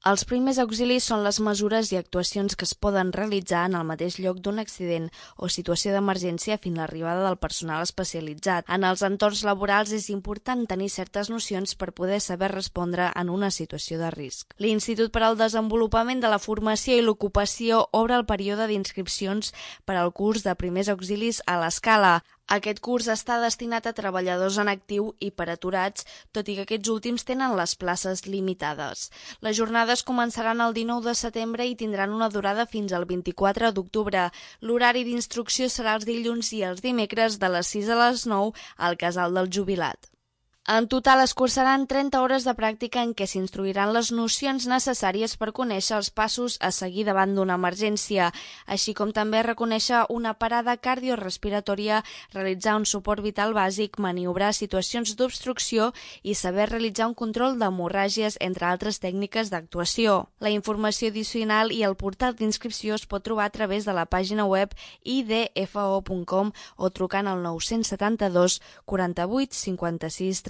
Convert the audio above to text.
Els primers auxilis són les mesures i actuacions que es poden realitzar en el mateix lloc d'un accident o situació d'emergència fins a l'arribada del personal especialitzat. En els entorns laborals és important tenir certes nocions per poder saber respondre en una situació de risc. L'Institut per al Desenvolupament de la Formació i l'Ocupació obre el període d'inscripcions per al curs de primers auxilis a l'Escala. Aquest curs està destinat a treballadors en actiu i per aturats, tot i que aquests últims tenen les places limitades. Les jornades començaran el 19 de setembre i tindran una durada fins al 24 d'octubre. L'horari d'instrucció serà els dilluns i els dimecres de les 6 a les 9 al Casal del Jubilat. En total es cursaran 30 hores de pràctica en què s'instruiran les nocions necessàries per conèixer els passos a seguir davant d'una emergència, així com també reconèixer una parada cardiorespiratòria, realitzar un suport vital bàsic, maniobrar situacions d'obstrucció i saber realitzar un control d'hemorràgies, entre altres tècniques d'actuació. La informació addicional i el portal d'inscripció es pot trobar a través de la pàgina web idfo.com o trucant al 972 48 56 37.